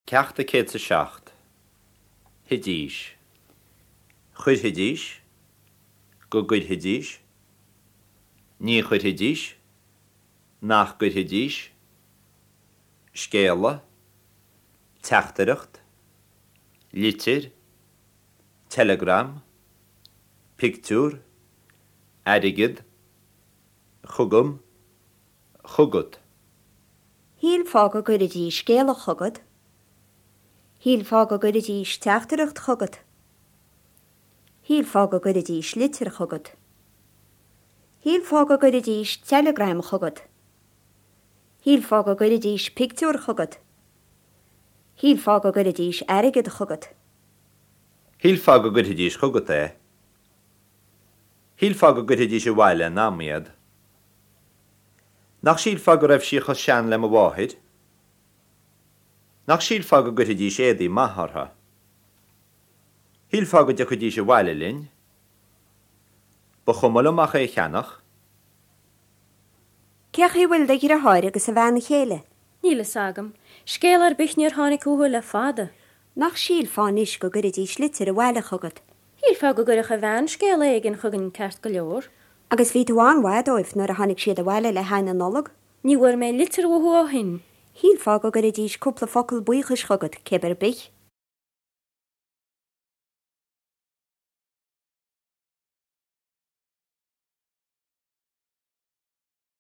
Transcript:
Ceacht 107. Thidís. Chuirfidís. Go gcuirfidís. Ní chuirfidís. Nach gcuirfidís. Scéala. Teachtaireacht. Litir. Teileagram. Pictiúr. Airgead. Chugam. Chugat. Shílfeá go gcuirfidís scéala chugat. Shílfeá go gcuirfidís teachtaireacht chugat. Shílfeá go gcuirfidís litir chugat. Shílfeá go gcuirfidís teileagram chugat. Shílfeá go gcuirfidís pictiúr chugat. Shílfeá go gcuirfidís airgead chugat. Shílfeá go gcuirfidís chugat é. Shílfeá go gcuirfidís abhaile in am iad. Nach sílfeá go raibh sí chomh sean le mo mháthair? Nach sílfeá go gcuirfidís éadaí maithe orthu? Shílfeá go dtiocfaidís abhaile linn? Ba chuma liom ach é a cheannach. Cén chaoi a bhfuil do dhriotháir agus a bhean chéile? Níl fhios agam. Scéal ar bith níor tháinig uathu le fada. Nach sílfeá anois go gcuirfidís litir abhaile chugat? Shílfeá go gcuirfeadh a bhean scéal éigin chugainn ceart go leor. Agus bhí tú an-mhaith dóibh nuair a tháinig siad abhaile le haghaidh na Nollag? Ní bhfuair mé litir uathu ó shin. Shílfeá go gcuirfidís cúpla focal buíochais chugat, cé ar bith.